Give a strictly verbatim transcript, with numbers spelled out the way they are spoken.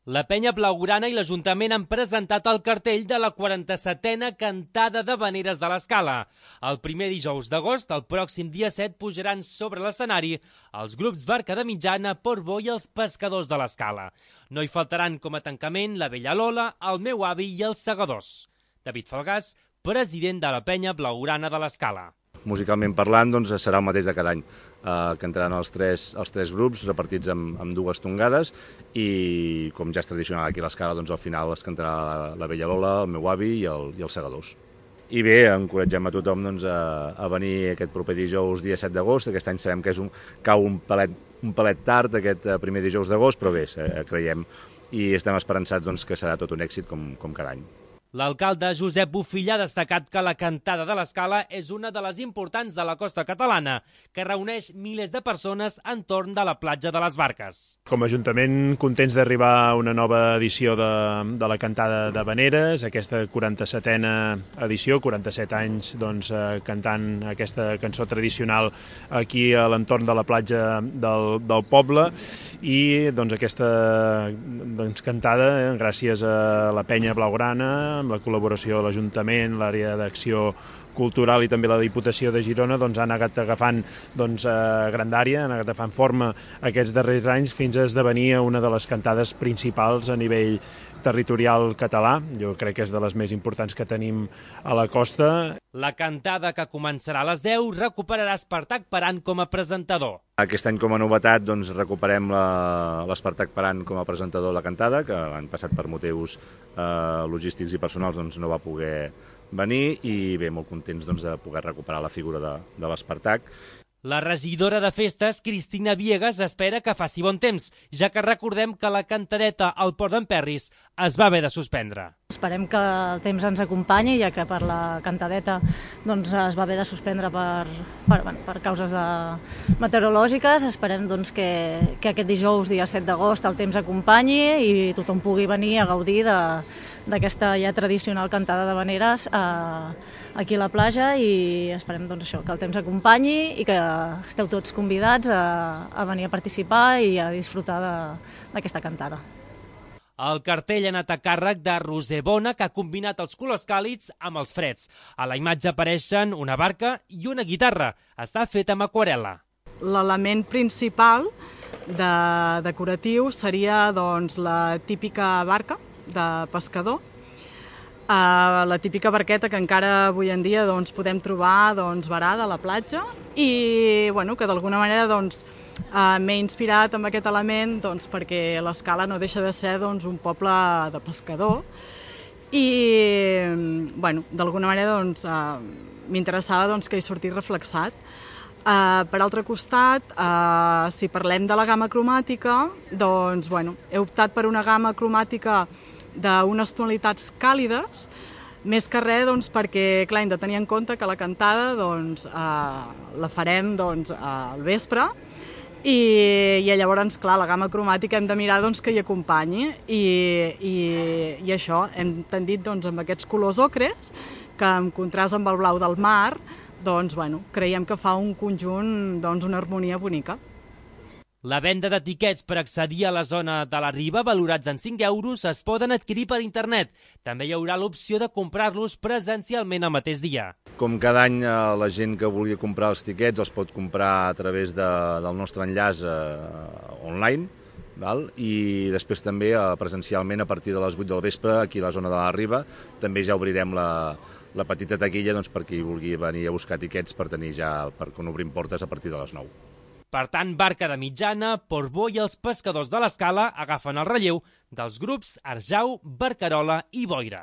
La Penya Blaugrana i l'Ajuntament han presentat el cartell de la quaranta-setena Cantada d'Havaneres de l'Escala. El primer dijous d'agost, el pròxim dia set, pujaran sobre l'escenari els grups Barca de Mitjana, Portbou i els Pescadors de l'Escala. No hi faltaran com a tancament la Vella Lola, el Meu Avi i els Segadors. David Falgàs, president de la Penya Blaugrana de l'Escala. Musicalment parlant, doncs, serà el mateix de cada any. Eh, cantaran els tres, els tres grups repartits amb, amb dues tongades i, com ja és tradicional aquí a l'Escala, doncs, al final es cantarà la, la Vella Lola, el Meu Avi i, el, i els Segadors. I bé, encoratgem a tothom doncs, a, a venir aquest proper dijous, dia set d'agost. Aquest any sabem que és un, cau un pelet, un pelet tard, aquest primer dijous d'agost, però bé, eh, creiem i estem esperançats doncs, que serà tot un èxit com, com cada any. L'alcalde Josep Bofill ha destacat que la Cantada de l'Escala és una de les importants de la costa catalana, que reuneix milers de persones entorn de la platja de les Barques. Com a Ajuntament, contents d'arribar a una nova edició de, de la Cantada d'Havaneres, aquesta quaranta-setena edició, quaranta-set anys doncs, eh, cantant aquesta cançó tradicional aquí a l'entorn de la platja del, del poble, i doncs, aquesta doncs, cantada, eh, gràcies a la Penya Blaugrana, amb la col·laboració de l'Ajuntament, l'àrea d'acció cultural i també la Diputació de Girona, doncs, han anat agafant doncs, eh, grandària, han anat agafant forma aquests darrers anys fins a esdevenir una de les cantades principals a nivell territorial català. Jo crec que és de les més importants que tenim a la costa. La cantada, que començarà a les deu, recuperarà Espartac Paran com a presentador. Aquest any, com a novetat, doncs, recuperem l'Espartac Paran com a presentador de la cantada, que l'any passat per motius eh, logístics i personals doncs, no va poder venir, i bé, molt contents doncs, de poder recuperar la figura de, de l'Espartac. La regidora de festes, Cristina Viegas, espera que faci bon temps, ja que recordem que la cantadeta al Port d'en Perris es va haver de suspendre. Esperem que el temps ens acompanyi, ja que per la cantadeta doncs, es va haver de suspendre per, per, bueno, per causes de meteorològiques. Esperem doncs, que, que aquest dijous, dia set d'agost, el temps acompanyi i tothom pugui venir a gaudir de, d'aquesta ja tradicional cantada d'havaneres eh, aquí a la platja, i esperem doncs, això, que el temps acompanyi i que esteu tots convidats a, a venir a participar i a disfrutar d'aquesta cantada. El cartell ha anat a càrrec de Roser Bona, que ha combinat els colors càlids amb els freds. A la imatge apareixen una barca i una guitarra. Està feta amb aquarel·la. L'element principal de decoratiu seria doncs, la típica barca de pescador, uh, la típica barqueta que encara avui en dia doncs, podem trobar doncs, varada a la platja, i bueno, que d'alguna manera doncs, uh, m'he inspirat amb aquest element doncs, perquè l'Escala no deixa de ser doncs, un poble de pescador, i bueno, d'alguna manera doncs, uh, m'interessava doncs, que hi sortís reflexat. Uh, per altre costat, uh, si parlem de la gamma cromàtica, doncs, bueno, he optat per una gamma cromàtica d'unes tonalitats càlides, més que res doncs, perquè clar, hem de tenir en compte que la cantada doncs, eh, la farem doncs, al vespre, i, i llavors clar, la gamma cromàtica hem de mirar doncs, que hi acompanyi, i, i, i això, hem tendit doncs, amb aquests colors ocres, que en contrast amb el blau del mar, doncs, bueno, creiem que fa un conjunt, doncs, una harmonia bonica. La venda de tiquets per accedir a la zona de la Riba, valorats en cinc euros, es poden adquirir per internet. També hi haurà l'opció de comprar-los presencialment el mateix dia. Com cada any, la gent que vulgui comprar els tiquets els pot comprar a través de, del nostre enllaç eh, online, val? I després també eh, presencialment a partir de les vuit del vespre, aquí a la zona de la Riba, també ja obrirem la, la petita taquilla doncs, per qui vulgui venir a buscar tiquets per tenir ja, per quan obrim portes a partir de les nou. Per tant, Barca de Mitjana, Portbou i els Pescadors de l'Escala agafen el relleu dels grups Arjau, Barcarola i Boira.